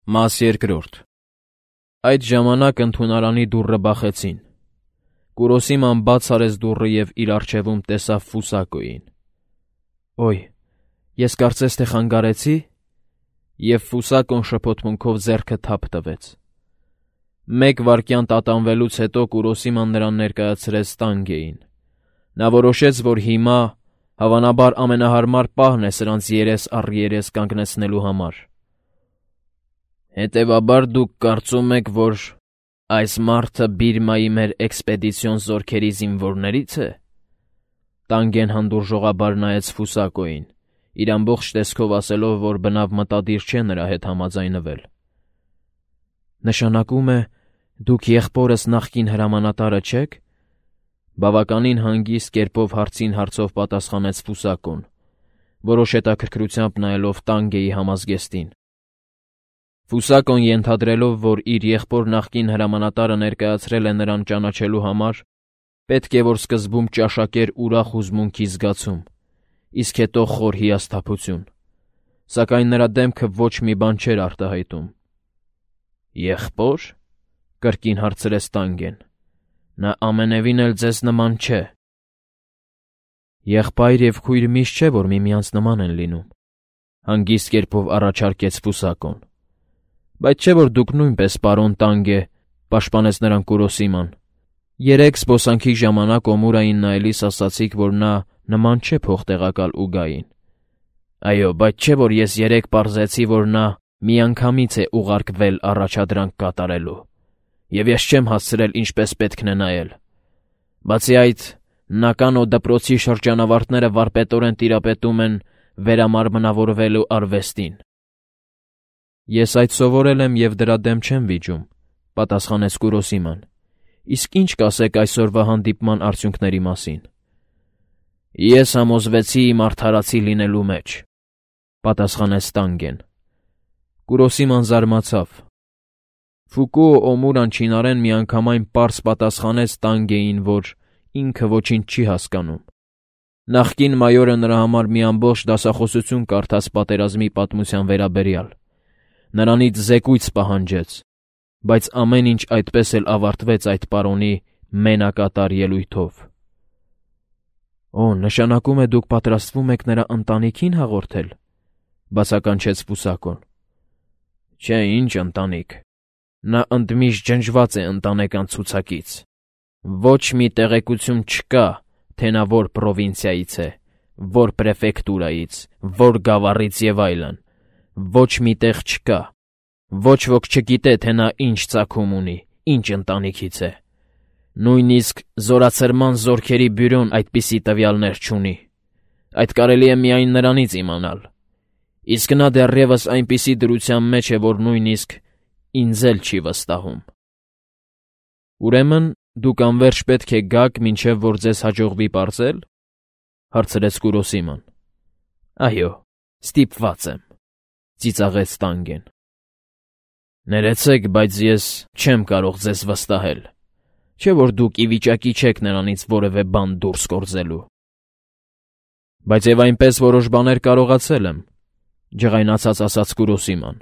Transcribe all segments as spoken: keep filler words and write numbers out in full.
Մաս երկրորդ Այդ ժամանակ ընդունարանի դուռը բախեցին։ Կուրոսիման բաց արեց դուռը և իր առջևում տեսավ Ֆուսակոյին։ «Օյ, ես կարծես թե խանգարեցի»։ Եվ Ֆուսակոն շփոթմունքով ձեռքը թափ տվեց։ Մեկ վայրկյան տատանվելուց հետո Կուրոսիման նրան ներկայացրեց Տանգեին։ Նա որոշեց, որ հիմա, հավանաբար, ամենահարմար պահն է սրանց երես առ երես կանգնեցնելու համար։ «Հետևաբար դուք կարծում եք, որ այս մարդը Բիրմայի մեր էքսպեդիցիոն զորքերի զինվորների՞ց է»։ Տանգեն հանդուրժողաբար նայեց Ֆուսակոյին, իր ամբողջ տեսքով ասելով, որ բնավ մտադիր չէ նրա հետ համաձայնվել։ «Նշանակում է, դուք եղբորս նախկին հրամանատարը չեք»։ Բավականին հանգիստ կերպով հարցին հարցով պատասխանեց Ֆուսակոն, որոշ հետաքրքրությամբ նայելով Տանգեի համազգեստին։ Ֆուսակոն ենթադրելով, որ իր եղբոր նախկին հրամանատարը ներկայացրել է նրան ճանաչելու համար, պետք է որ սկզբում ճաշակեր ուրախ հուզմունքի զգացում, իսկ հետո խոր հիասթափություն, սակայն նրա դեմքը ոչ մի բան չէր արտահայտում։ «Եղբո՞ր», կրկին հարցրեց Տանգեն։ «Նա ամենևին էլ ձեզ նման չէ»։ «Եղբայր և քույր միշտ չէ, որ միմյանց նման են լինում», հանգիստ կերպով առաջարկեց Ֆուսակոն։ «Բայց չէ՞ որ դուք նույնպես, պարոն Տանգե», պաշտպանեց նրան Կուրոսիման։ «Երեկ զբոսանքի ժամանակ Օմուրային նայելիս ասացիք, որ նա նման չէ փոխտեղակալ Ուգային»։ «Այո, բայց չէ՞ որ ես երեկ պարզեցի, որ նա միանգամից է ուղարկվել առաջադրանք կատարելու, և ես չեմ հասցրել ինչպես պետք է նայել։ Բացի այդ, Նականո դպրոցի շրջանավարտները վարպետորեն տիրապետում են վերամարմնավորվելու արվեստին»։ «Ես այդ սովորել եմ և դրա դեմ չեմ վիճում», պատասխանեց Կուրոսիման։ «Իսկ ի՞նչ կասեք այսօրվա հանդիպման արդյունքների մասին»։ «Ես համոզվեցի իմ արդարացի լինելու մեջ», պատասխանեց Տանգեն։ Կուրոսիման զարմացավ։ Ֆուկուո Օմուրան չինարեն միանգամայն պարզ պատասխանեց Տանգեին, որ ինքը ոչինչ չի հասկանում։ Նախկին մայորը նրա համար մի ամբողջ դասախոսություն կարդաց պատերազմի պատմության վերաբերյալ։ Նրանից զեկույց պահանջեց, բայց ամեն ինչ այդպես էլ ավարտվեց այդ պարոնի մենակատար ելույթով։ «Օ, նշանակում է դուք պատրաստվում եք նրա ընտանիքին հաղորդել», բացականչեց Ֆուսակոն։ «Չէ, ինչ ընտանիք, նա ընդմիշտ ջնջված է ընտանեկան ցուցակից։ Ոչ մի տեղեկություն չկա, թե նա որ պրովինցիայից է, որ պրեֆեկտուրայից, որ գավառից և այլն։ Ոչ մի տեղ չկա։ Ոչ ոք չգիտե, թե նա ինչ ծագում ունի, ինչ ընտանիքից է։ Նույնիսկ զորացրման զորքերի բյուրոն այդպիսի տվյալներ չունի։ Այդ կարելի է միայն նրանից իմանալ։ Իսկ նա դեռևս այնպիսի դրության մեջ է, որ նույնիսկ ինձ էլ չի վստահում»։ «Ուրեմն դուք անվերջ պետք է գաք, մինչև որ ձեզ հաջողվի պարզել»։ հարցրեց Կուրոսիման։ «Այո, ստիպված եմ», ծիծաղեց Տանգեն։ «Ներեցեք, բայց ես չեմ կարող ձեզ վստահել, չէ՞ որ դուք ի վիճակի չեք նրանից որևէ բան դուրս գործելու»։ «Բայց և այնպես որոշ բաներ կարողացել եմ», ջղայնացած ասաց Կուրոսիման։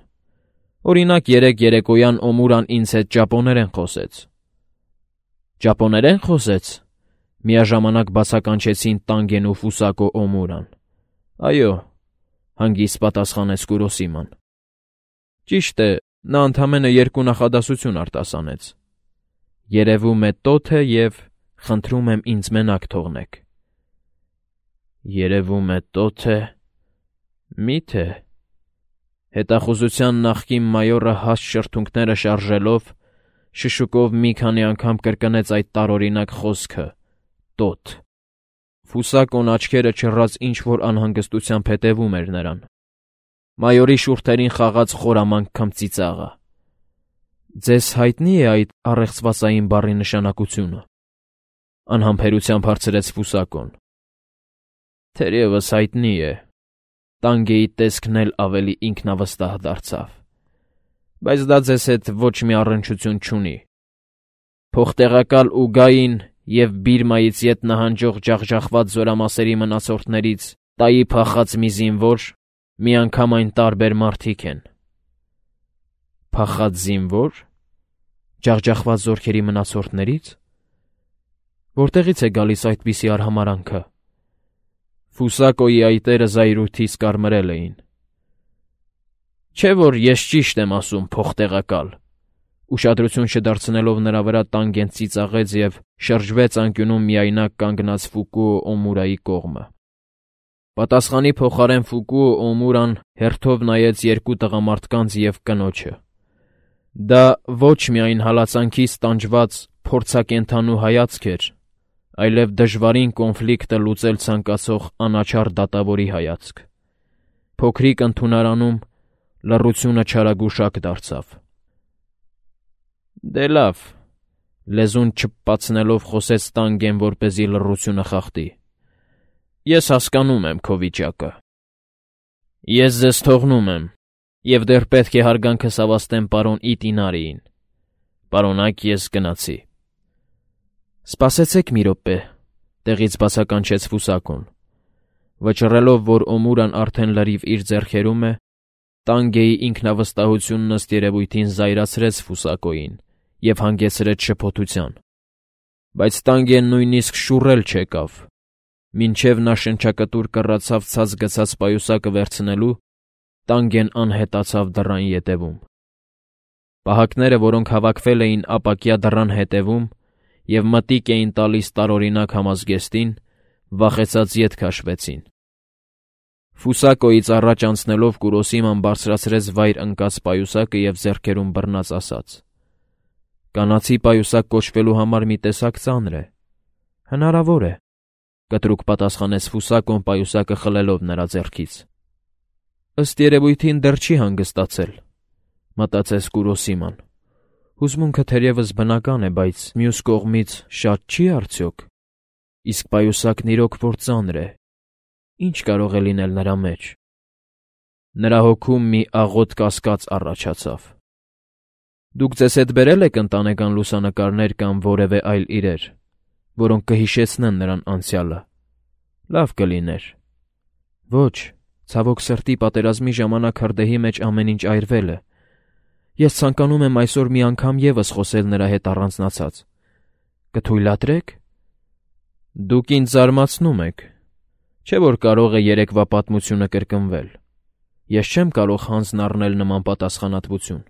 «Օրինակ, երեկ երեկոյան Օմուրան ինձ հետ ճապոներեն խոսեց»։ «Ճապոներեն խոսեց»։ Միաժամանակ բացականչեցին Տանգեն ու Ֆուսակո Օմուրան։ «Այո», հանգիստ պատասխանեց Կուրոսիման։ «Ճիշտ է, նա ընդամենը երկու նախադասություն արտասանեց. երևում է տոթ է և խնդրում եմ ինձ մենակ թողնեք»։ «Երևում է տոթ է, մի՞թե»։ Հետախուզության նախկին մայորը հաստ շրթունքները շարժելով, շշուկով մի քանի անգամ կրկնեց այդ տարօրինակ խոսքը՝ «տոթ»։ Ֆուսակոն աչքերը չռած ինչ-որ անհանգստությամբ հետևում էր նրան։ Մայորի շուրթերին խաղաց խորամանկ քմծիծաղը։ «Ձեզ հայտնի է այդ առեղծվածային բառի նշանակությունը»։ Անհամբերությամբ հարցրեց Ֆուսակոն։ «Թերևս հայտնի է»։ Տանգեի տեսքն էլ ավելի ինքնավստահ դարձավ։ «Բայց դա ձեզ հետ ոչ մի առնչություն չունի։ Փոխտեղակալ Ուգային և Բիրմայից ետ նահանջող ջախջախված զորամասերի մնացորդներից տայի փախած մի զինվոր միանգամայն տարբեր մարդիկ են»։ Փախած զինվո՞ր, ջախջախված զորքերի մնացորդներից։ Որտեղից է գալիս այդպիսի արհամարանքը։ Ֆուսակոյի այտերը զայրույթից կարմրել էին։ Չէ՞ որ ես ճիշտ եմ ասում, փոխտեղակալ։ Ուշադրություն չդարձնելով նրա վրա Տանգեն ծիծաղեց և շրջվեց անկյունում միայնակ կանգնած Ֆուկուո Օմուրայի կողմը։ Պատասխանի փոխարեն Ֆուկուո Օմուրան հերթով նայեց երկու տղամարդկանց և կնոջը։ Դա ոչ միայն հալածանքից տանջված փորձակենդանու հայացք էր, այլև դժվարին կոնֆլիկտը լուծել ցանկացող անաչառ դատավորի հայացք։ Փոքրիկ ընդունարանում լռությունը չարագուշակ դարձավ։ Դե լավ, լեզուն չփպացնելով խոսեց Տանգեն, որպեսզի լռությունը խախտի։ Ես հասկանում եմ քո վիճակը։ Ես ձեզ թողնում եմ, և դեռ պետք է հարգանքս հավաստեմ պարոն Իտինարիին։ Պարոնակ, ես գնացի։ Սպասեցեք մի րոպե, տեղից բացականչեց Ֆուսակոն։ Վճռելով, որ Օմուրան արդեն լրիվ իր ձեռքերում է, Տանգեի ինքնավստահությունն ըստ երևույթին զայրացրեց Ֆուսակոյին և հանգեցրեց շփոթության։ Բայց Տանգեն նույնիսկ շուռել չեկավ, մինչև նա շնչակտուր կռացավ ցած գցած պայուսակը վերցնելու, Տանգեն անհետացավ դռան ետևում։ Պահակները, որոնք հավաքվել էին ապակյա դռան հետևում և մտիկ էին տալիս տարօրինակ համազգեստին, վախեցած ետ քաշվեցին։ Ֆուսակոյից առաջ անցնելով Կուրոսիման բարձրացրեց վայր ընկած պայուսակը և ձեռքերում բռնած ասաց. «Կանացի պայուսակ կոչվելու համար մի տեսակ ծանր է»։ Հնարավոր է, կտրուկ պատասխանեց Ֆուսակոն պայուսակը խլելով նրա ձեռքից։ Ըստ երևույթին դեռ չի հանգստացել, մտածեց Կուրոսիման։ Հուզմունքը թերևս բնական է, բայց մյուս կողմից շատ չի արդյոք։ Իսկ պայուսակն իրոք որ ծանր է, ինչ կարող է լինել նրա մեջ։ Նրա հոգում մի աղոտ կասկած առաջացավ։ Դուք ձեզ հետ բերել եք ընտանեկան լուսանկարներ կամ որևէ այլ իրեր, որոնք կհիշեցնեն նրան անցյալը։ Լավ կլիներ։ Ոչ, ցավոք սրտի պատերազմի ժամանակ հրդեհի մեջ ամեն ինչ այրվել է։ Ես ցանկանում եմ այսօր մի անգամ ևս խոսել նրա հետ առանձնացած։ Կթույլատրե՞ք։ Դուք ինձ զարմացնում եք։ Չէ՞ որ կարող է երեկվա պատմությունը կրկնվել։ Ես չեմ կարող հանձն առնել նման պատասխանատվություն։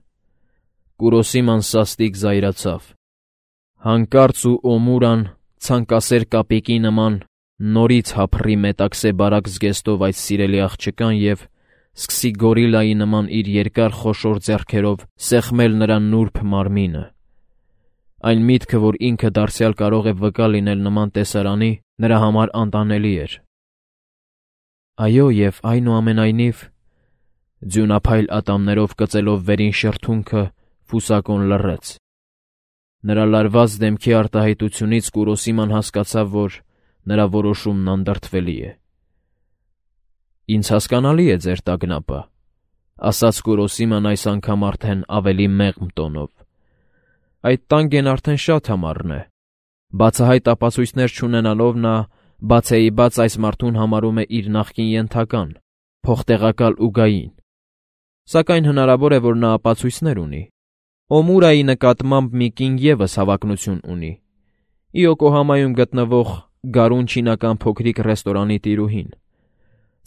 Կուրոսիման սաստիկ զայրացավ։ Հանկարծ ու Օմուրան ցանկասեր կապիկի նման նորից հափռի մետաքսե բարակ զգեստով այդ սիրելի աղջկան և սկսի գորիլայի նման իր երկար խոշոր ձեռքերով սեղմել նրա նուրբ մարմինը։ Այն միտքը, որ ինքը դարձյալ կարող է վկա լինել նման տեսարանի, նրա համար անտանելի էր։ Այո, և այնուամենայնիվ, ձյունափայլ ատամներով կծելով վերին շրթունքը, Ֆուսակոն լռեց։ Նրա լարված դեմքի արտահայտությունից Կուրոսիման հասկացավ, որ նրա որոշումն անդրդվելի է։ Ինձ հասկանալի է ձեր տագնապը, ասաց Կուրոսիման այս անգամ արդեն ավելի մեղմ տոնով։ Այդ Տանգեն արդեն շատ համառն է։ Բացահայտ ապացույցներ չունենալով նա բացեիբաց այս մարդուն համարում է իր նախկին ենթական, փոխտեղակալ ուգային։ Սակայն հնարավոր է, որ նա ապացույցներ ունի։ Օմուրայի նկատմամբ մի կին ևս հավակնություն ունի։ Իոկոհամայում գտնվող գարուն չինական փոքրիկ ռեստորանի տիրուհին։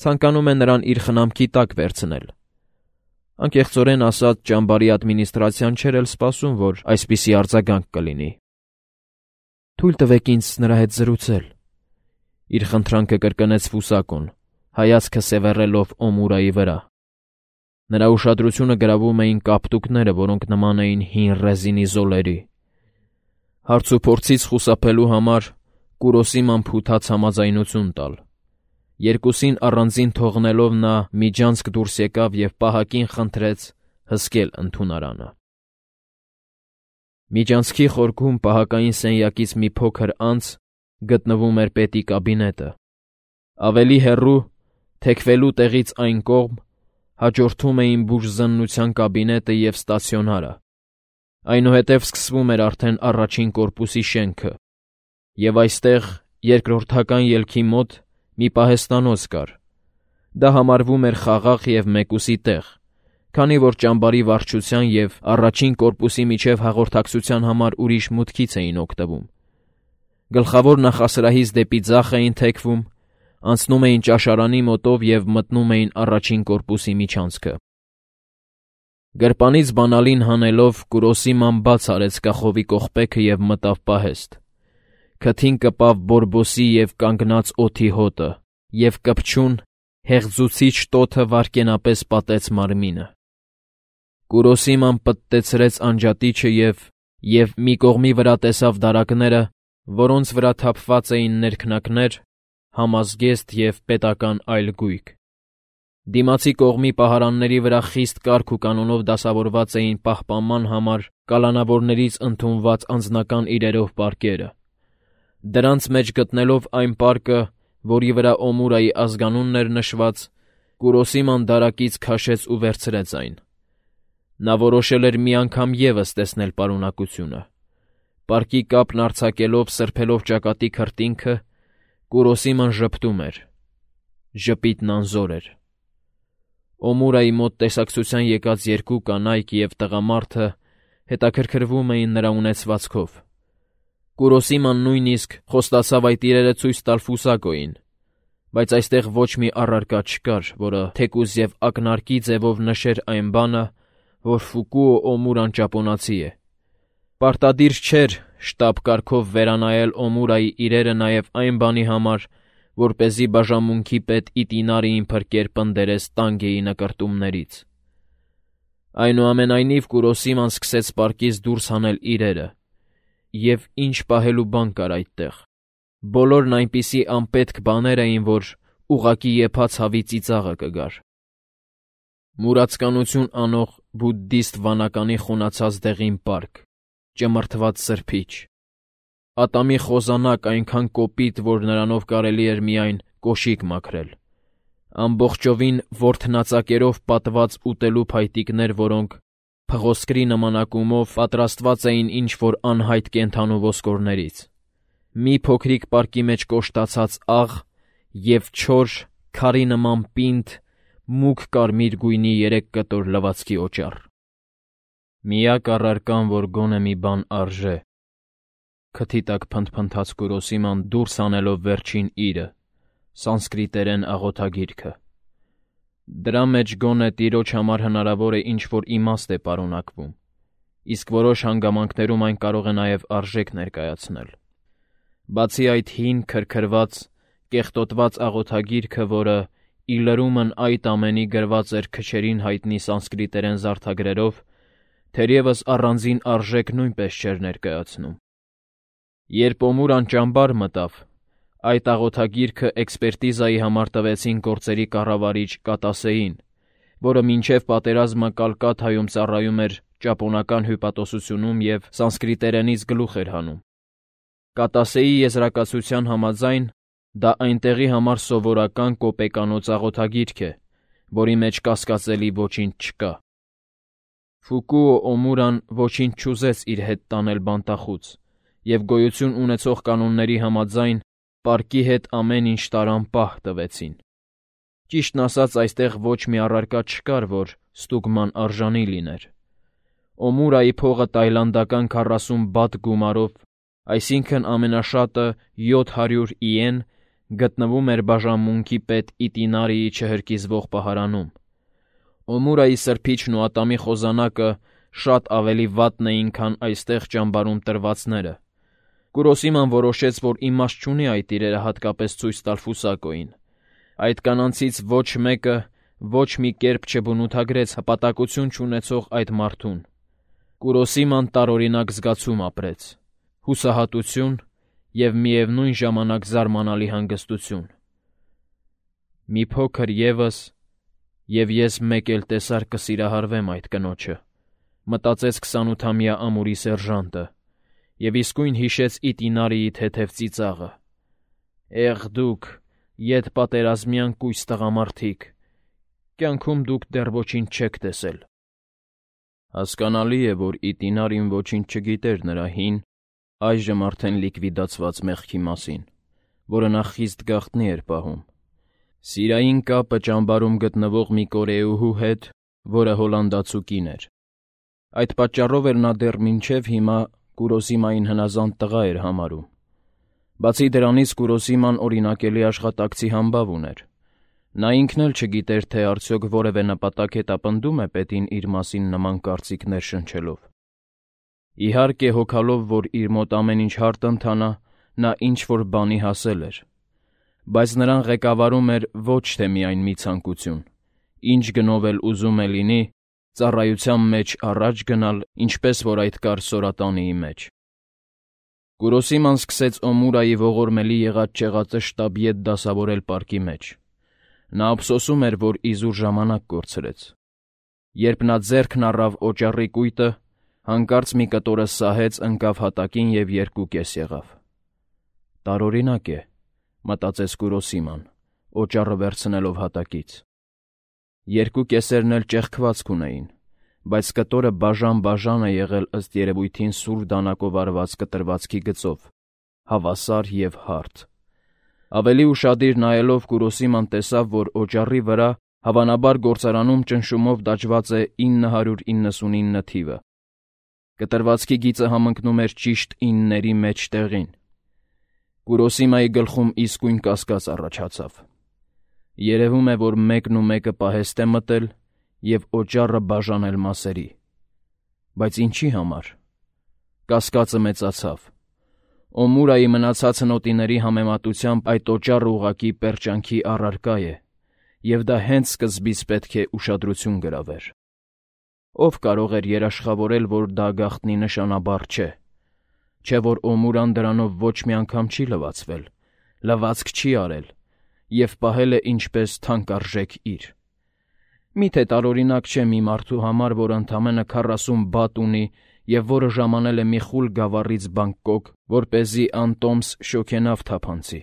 Ցանկանում է նրան իր խնամքի տակ վերցնել։ Անկեղծորեն ասած, ճամբարի ադմինիստրացիան չէր էլ սպասում, որ այսպիսի արձագանք կլինի։ Թույլ տվեք ինձ նրա հետ զրուցել։ Իր խնդրանքը կրկնեց Ֆուսակոն, հայացքը սևեռելով Օմուրայի վրա։ Նրա ուշադրությունը գրավում էին կապտուկները, որոնք նման էին հին ռեզինի զոլերի։ Հարցուփորձից խուսափելու համար Կուրոսիման փութաց համաձայնություն տալ։ Երկուսին առանձին թողնելով նա միջանցք դուրս եկավ և պահակին խնդրեց հսկել ընդունարանը։ Միջանցքի խորքում պահակային սենյակից մի փոքր անց գտնվում էր պետի կաբինետը։ Ավելի հեռու, թեքվելու տեղից այն կողմ, հաջորդում էին բուժզննության կաբինետը և ստացիոնարը։ Այնուհետև սկսվում էր արդեն առաջին կորպուսի շենքը, և այստեղ, երկրորդական ելքի մոտ, մի պահեստանոց կար։ Դա համարվում էր խաղաղ և մեկուսի տեղ, քանի որ ճամբարի վարչության և առաջին կորպուսի միջև հաղորդակցության համար ուրիշ մուտքից էին օգտվում։ Գլխավոր նախասրահից դեպի ձախ էին թեքվում, անցնում էին ճաշարանի մոտով և մտնում էին առաջին կորպուսի միջանցքը։ Գրպանից բանալին հանելով Կուրոսիման բաց արեց կախովի կողպեքը և մտավ պահեստ։ Քթին կպավ բորբոսի և կանգնած օդի հոտը, և կպչուն, հեղձուցիչ տոթը վայրկենապես պատեց մարմինը։ Կուրոսիման պտտեցրեց անջատիչը և, և մի կողմի վրա տեսավ դարակները, որոնց վրա թափված էին ներքնակներ, համազգեստ և պետական այլ գույք։ Դիմացի կողմի պահարանների վրա խիստ կարգ ու կանոնով դասավորված էին պահպանման համար կալանավորներից ընդունված անձնական իրերով պարկերը։ Դրանց մեջ գտնելով այն պարկը, որի վրա Օմուրայի ազգանունն էր նշված, Կուրոսիման դարակից քաշեց ու վերցրեց այն։ Նա որոշել էր մի անգամ ևս տեսնել պարունակությունը։ Պարկի կապն արձակելով, սրբելով ճակատի քրտինքը, Կուրոսիման ժպտում էր։ Ժպիտն անզոր էր։ Օմուրայի մոտ տեսակցության եկած երկու կանայք և տղամարդը հետաքրքրվում էին նրա ունեցվածքով։ Կուրոսիման նույնիսկ խոստացավ այդ իրերը ցույց տալ Ֆուսակոյին, բայց այստեղ ոչ մի առարկա չկար, որը թեկուզ և ակնարկի ձևով նշեր այն բանը, որ Ֆուկուո Օմուրան ճապոնացի է։ Պարտադիր չէր շտապ կարգով վերանայել Օմուրայի իրերը նաև այն բանի համար, որպեսզի բաժանմունքի պետ Իտինարիին փրկեր պնդերես Տանգեի նկրտումներից։ Այնուամենայնիվ Կուրոսիման սկսեց պարկից դուրս հանել իրերը, և ինչ պահելու բան կար այդտեղ։ Բոլորն այնպիսի անպետք բաներ էին, որ ուղղակի եփած հավի ծիծաղը կգար։ Մուրացկանություն անող բուդդիստ վանականի խունացած դեղին պարկ, ճմրթված սրբիչ, ատամի խոզանակ այնքան կոպիտ, որ նրանով կարելի էր միայն կոշիկ մաքրել, ամբողջովին ворթնածակերով պատված ուտելու փայտիկներ, որոնք փղոսկրի նմանակումով պատրաստված էին ինչ-որ անհայտ կենդանու ոսկորներից, մի փոքրիկ պարկի մեջ կոշտացած աղ և չոր, քարի նման պինդ, մուգ կարմիր գույնի երեք կտոր լվացքի օճառ։ Միակ առարկան, որ գոնե մի բան արժե, քթի տակ փնթփնթաց Կուրոսիման դուրս հանելով վերջին իրը, սանսկրիտերեն աղոթագիրքը։ Դրա մեջ գոնե տիրոջ համար հնարավոր է ինչ-որ իմաստ է պարունակվում, իսկ որոշ հանգամանքներում այն կարող է նաև արժեք ներկայացնել։ Բացի այդ հին, քրքրված, կեղտոտված աղոթագիրքը, որը ի լրումն այդ ամենի գրված էր քչերին հայտնի սանսկրիտերեն զարդագրերով, թերևս առանձին արժեք նույնպես չէր ներկայացնում։ Երբ Օմուրան ճամբար մտավ, այդ աղոթագիրքը էքսպերտիզայի համար տվեցին գործերի կառավարիչ Կատասեին, որը մինչև պատերազմը Կալկաթայում ծառայում էր ճապոնական հյուպատոսությունում և սանսկրիտերենից գլուխ էր հանում։ Կատասեի եզրակացության համաձայն, դա այնտեղի համար սովորական կոպեկանոց աղոթագիրք է, որի մեջ կասկածելի ոչինչ չկա։ Ֆուկուո Օմուրան ոչինչ չուզեց իր հետ տանել բանտախուց, և գոյություն ունեցող կանոնների համաձայն պարկի հետ ամեն ինչ տարան պահ տվեցին։ Ճիշտն ասած, այստեղ ոչ մի առարկա չկար, որ ստուգման արժանի լիներ։ Օմուրայի փողը տայլանդական քառասուն բաթ գումարով, այսինքն ամենաշատը յոթ հարյուր իեն, գտնվում էր բաժանմունքի պետ Իտինարիի չհրկիզվող պահարանում։ Օմուրայի սրբիչն ու ատամի խոզանակը շատ ավելի վատն էին, քան այստեղ ճամբարում տրվածները։ Կուրոսիման որոշեց, որ իմաստ չունի այդ իրերը հատկապես ցույց տալ Ֆուսակոյին։ Այդ կանանցից ոչ մեկը ոչ մի կերպ չբնութագրեց հպատակություն չունեցող այդ մարդուն։ Կուրոսիման տարօրինակ զգացում ապրեց՝ հուսահատություն և միևնույն ժամանակ զարմանալի հանգստություն։ «Մի փոքր ևս, և ես մեկ էլ տեսար կսիրահարվեմ այդ կնոջը», մտածեց քսանութամյա ամուրի սերժանտը, և իսկույն հիշեց Իտինարիի թեթև ծիծաղը։ «Էղ դուք, ետպատերազմյան կույս տղամարդիկ, կյանքում դուք դեռ ոչինչ չեք տեսել»։ Հասկանալի է, որ Իտինարին ոչինչ չգիտեր նրա հին, այժմ արդեն լիկվիդացված մեղքի մասին, որը նա խիստ գաղտնի էր պահում։ Սիրային կապը ճամբարում գտնվող մի կորեուհու հետ, որը հոլանդացու կին էր։ Այդ պատճառով էլ նա դեռ մինչև հիմա Կուրոսիմային հնազանդ տղա էր համարում։ Բացի դրանից Կուրոսիման օրինակելի աշխատակցի համբավ ուներ։ Նա ինքն էլ չգիտեր, թե արդյոք որևէ նպատակ հետապնդում է պետին իր մասին նման կարծիքներ շնչելով։ Իհարկե, հոգալով, որ իր մոտ ամեն ինչ հարթ ընթանա, նա ինչ-որ բանի հասել էր։ Բայց նրան ղեկավարում էր ոչ թե միայն մի ցանկություն, ինչ գնով էլ ուզում է լինի, ծառայության մեջ առաջ գնալ, ինչպես որ այդ կար Սորատանիի մեջ։ Կուրոսիման սկսեց Օմուրայի ողորմելի եղած-չեղածը շտաբիետ դասավորել պարկի մեջ։ Նա ափսոսում էր, որ իզուր ժամանակ կորցրեց։ Երբ նա ձեռքն առավ օճառի կույտը, հանկարծ մի կտորը սահեց, ընկավ հատակին և երկու կես եղավ։ Տարօրինակ է, մտածեց Կուրոսիման, օճառը վերցնելով հատակից։ Երկու կեսերն էլ ճեղքվածք ունեին, բայց կտորը բաժան-բաժան է եղել ըստ երևույթին սուր դանակով արված կտրվածքի գծով, հավասար և հարթ։ Ավելի ուշադիր նայելով Կուրոսիման տեսավ, որ օճառի վրա հավանաբար գործարանում ճնշումով դաջված է ինը հարյուր իննսունինը թիվը։ Կտրվածքի գիծը համընկնում էր ճիշտ ինների մեջտեղին։ Կուրոսիմայի գլխում իսկույն կասկած առաջացավ։ Երևում է, որ մեկն ու մեկը պահեստ է մտել և օճառը բաժանել մասերի։ Բայց ինչի համար։ Կասկածը մեծացավ։ Օմուրայի մնացած հնոտիների համեմատությամբ այդ օճառը ուղղակի պերճանքի առարկա է, և դա հենց սկզբից պետք է ուշադրություն գրավեր։ Ով կարող էր երաշխավորել, որ դա գաղտնի նշանաբառ չէ, չէ՞ որ Օմուրան դրանով ոչ մի անգամ չի լվացվել, լվացք չի արել և պահել է ինչպես թանկարժեք իր։ Մի՞թե տարօրինակ չէ մի մարդու համար, որ ընդամենը քառասուն բատ ունի և որը ժամանել է մի խուլ գավառից Բանգկոկ, որպեսզի անտոմս շոգենավ թափանցի։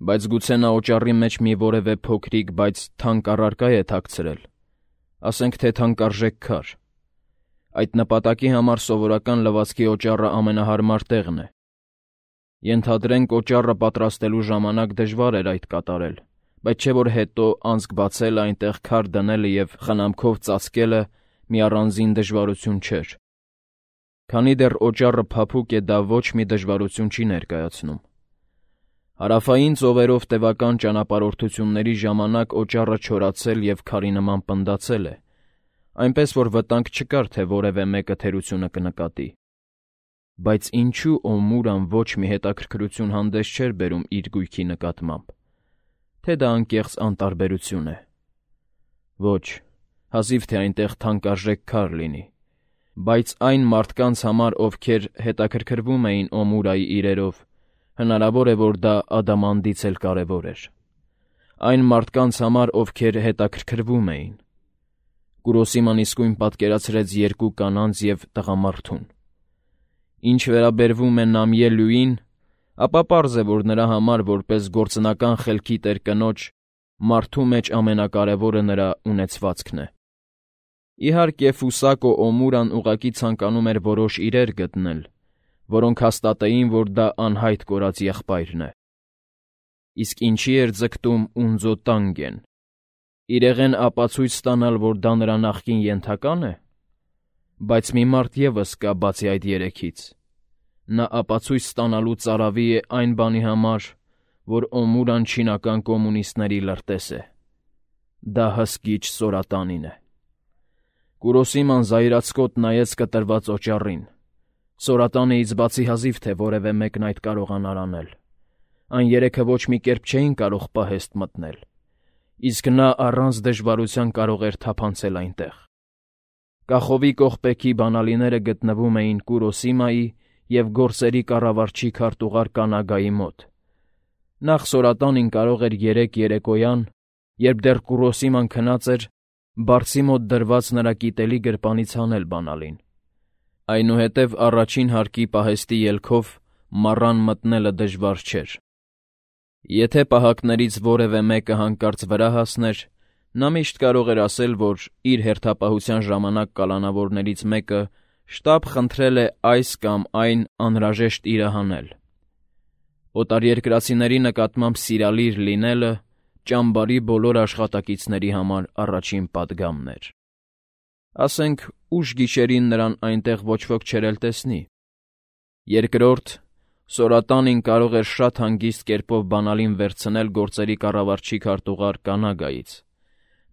Բայց գուցե նա օճառի մեջ մի որևէ փոքրիկ, բայց թանկ առարկա է թաքցրել, ասենք թե թանկարժեք քար։ Այդ նպատակի համար սովորական լվացքի օճառը ամենահարմար տեղն է։ Ենթադրենք օճառը պատրաստելու ժամանակ դժվար էր այդ կատարել, բայց չէ՞ որ հետո անցք բացելը, այնտեղ քար դնելը և խնամքով ծածկելը մի առանձին դժվարություն չէր։ Քանի դեռ օճառը փափուկ է, դա ոչ մի դժվարություն չի ներկայացնում։ Հարավային ծովերով տևական ճանապարհորդությունների ժամանակ օճառը չորացել և քարի նման պնդացել է, այնպես որ վտանգ չկար, թե որևէ մեկը թերությունը կնկատի։ Բայց ինչու Օմուրան ոչ մի հետաքրքրություն հանդես չէր բերում իր գույքի նկատմամբ, թե դա անկեղծ անտարբերություն է։ Ոչ, հազիվ թե այնտեղ թանկարժեք քար լինի, բայց այն մարդկանց համար, ովքեր հետաքրքրվում էին Օմուրայի իրերով, հնարավոր է, որ դա ադամանդից էլ կարևոր էր։ Այն մարդկանց համար, ովքեր հետաքրքրվում էին։ Կուրոսիման իսկույն պատկերացրեց երկու կանանց և տղամարդուն։ Ինչ վերաբերվում է Նամիե-Լյուին, ապա պարզ է, որ նրա համար, որպես գործնական խելքի տեր կնոջ, մարդու մեջ ամենակարևորը նրա ունեցվածքն է։ Իհարկե, Ֆուսակո Օմուրան ուղղակի ցանկանում էր որոշ իրեր գտնել, որոնք հաստատեին, որ դա անհայտ կորած եղբայրն է։ Իսկ ինչի էր ձգտում Ունձո Տանգեն։ Իրեղեն ապացույց ստանալ, որ դա նրա նախկին ենթակա՞ն է։ Բայց մի մարդ ևս կա բացի այդ երեքից։ Նա ապացույց ստանալու ծարավի է այն բանի համար, որ Օմուրան չինական կոմունիստների լրտես է։ Դա հսկիչ Սորատանին է։ Կուրոսիման զայրացկոտ նայեց կտրված օճառին։ Սորատանիից բացի հազիվ թե որևէ մեկն այդ կարողանար անել։ Այն երեքը ոչ մի կերպ չէին կարող պահեստ մտնել, իսկ նա առանց դժվարության կարող էր թափանցել այնտեղ։ Կախովի կողպեքի բանալիները գտնվում էին Կուրոսիմայի և գործերի կառավարչի քարտուղար Կանագայի մոտ։ Նախ Սորատանին կարող էր երեկ երեկոյան, երբ դեռ Կուրոսիման քնած էր, բարձի մոտ դրված նրա կիտելի գրպանից հանել բանալին։ Այնուհետև առաջին հարկի պահեստի ելքով մառան մտնելը դժվար չէր։ Եթե պահակներից որևէ մեկը հանկարծ վրա հասներ, նա միշտ կարող էր ասել, որ իր հերթապահության ժամանակ կալանավորներից մեկը շտապ խնդրել է այս կամ այն անհրաժեշտ իրը հանել։ Օտարերկրացիների նկատմամբ սիրալիր լինելը ճամբարի բոլոր աշխատակիցների համար առաջին պատգամն էր։ Ասենք, ուշ գիշերին նրան այնտեղ ոչ ոք չէր էլ տեսնի։ Երկրորդ, Սորատանին կարող էր շատ հանգիստ կերպով բանալին վերցնել գործերի կառավարչի քարտուղար Կանագայից։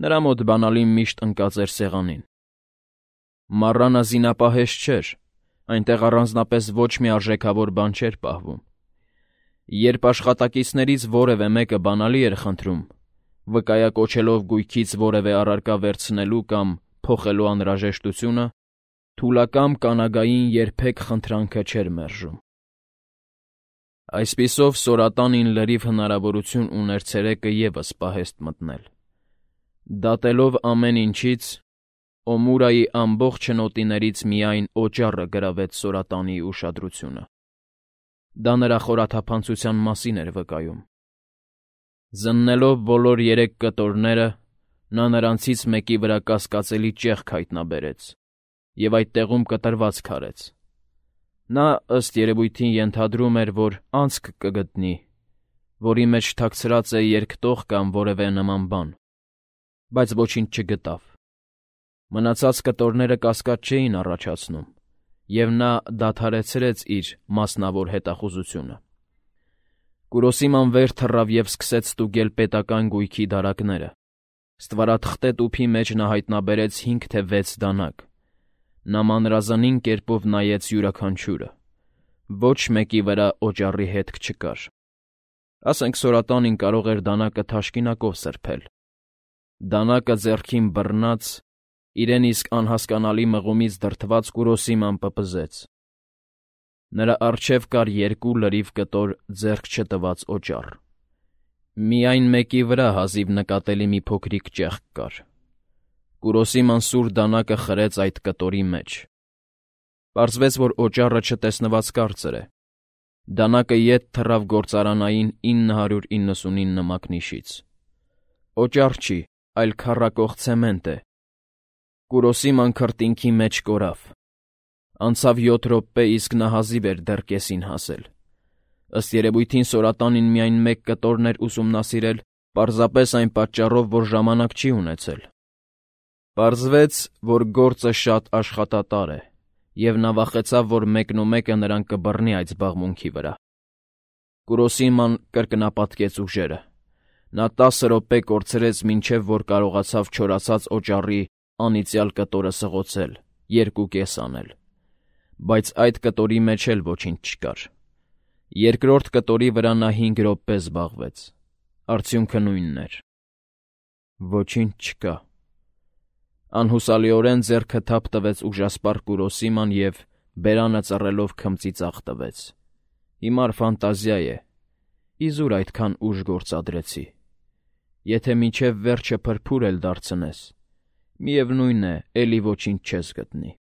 Նրա մոտ բանալին միշտ ընկած էր սեղանին։ Մառանը զինապահեստ չէր, այնտեղ առանձնապես ոչ մի արժեքավոր բան չէր պահվում։ Երբ աշխատակիցներից որևէ մեկը բանալի էր խնդրում, վկայակոչելով գույքից որևէ առարկա վերցնելու կամ փոխելու անհրաժեշտությունը, թուլակամ Կանագային երբեք խնդրանքը չէր մերժում։ Այսպիսով Սորատանին լրիվ հնարավորություն ուներ ցերեկը ևս պահեստ մտնել։ Դատելով ամեն ինչից, Օմուրայի ամբողջ հնոտիներից միայն օճառը գրավեց Սորատանի ուշադրությունը։ Դա նրա խորաթափանցության մասին էր վկայում։ Զննելով բոլոր երեք կտորները, նա նրանցից մեկի վրա կասկածելի ճեղք հայտնաբերեց և այդ տեղում կտրված քարեց։ Նա, ըստ երևույթին, ենթադրում էր, որ անցք կգտնի, որի մեջ թաքցրած է երկտող կամ որևէ նման բան, բայց ոչինչ չգտավ։ Մնացած կտորները կասկած չէին առաջացնում, և նա դադարեցրեց իր մասնավոր հետախուզությունը։ Կուրոսիման վեր թռավ և սկսեց ստուգել պետական գույքի դարակները։ Ստվարաթղթե տուփի մեջ նա հայտնաբերեց հինգ թե վեց դանակ։ Նա մանրազնին կերպով նայեց յուրաքանչյուրը։ Ոչ մեկի վրա օճառի հետք չկար։ Ասենք Սորատանին կարող էր դանակը թաշկինակով սրբել։ Դանակը ձեռքին բռնած, իրեն իսկ անհասկանալի մղումից դրդված Կուրոսիման պպզեց։ Նրա առջև կար երկու լրիվ կտոր ձեռք չտված օճառ։ Միայն մեկի վրա հազիվ նկատելի մի փոքրիկ ճեղք կար։ Կուրոսիման սուր դանակը խրեց այդ կտորի մեջ։ Պարզվեց, որ օճառը չտեսնված կարծր է։ Դանակը ետ թռավ գործարանային ինը հարյուր իննսունինը մակնիշից։ Օճառ չի, այլ քառակող ցեմենտ է։ Կուրոսիման քրտինքի մեջ կորավ։ Անցավ յոթ րոպե, իսկ նա հազիվ էր դեռ կեսին հասել։ Ըստ երևույթին Սորատանին միայն մեկ կտորն էր ուսումնասիրել, պարզապես այն պատճառով, որ ժամանակ չի ունեցել։ Պարզվեց, որ գործը շատ աշխատատար է, և նա վախեցավ, որ մեկնումեկը նրան կբռնի այդ զբաղմունքի վրա։ Կուրոսիման կրկնապատկեց ուժերը։ Նա տասը րոպե կորցրեց, մինչև որ կարողացավ չորացած օճառի անիծյալ կտորը սղոցել, երկու կես անել։ Բայց այդ կտորի մեջ էլ ոչինչ չկար։ Երկրորդ կտորի վրա նա հինգ րոպե զբաղվեց։ Արդյունքը նույնն էր։ Ոչինչ չկա։ Անհուսալիորեն ձեռքը թափ տվեց ուժասպառ Կուրոսիման և բերանը ծռելով քմծի ծախ տվեց։ Հիմար ֆանտազիա է։ Իզուր այդքան ուժ գործադրեցի։ Եթե մինչև վերջը փրփուր էլ դարձնես, միևնույն է, էլի ոչինչ չես գտնի։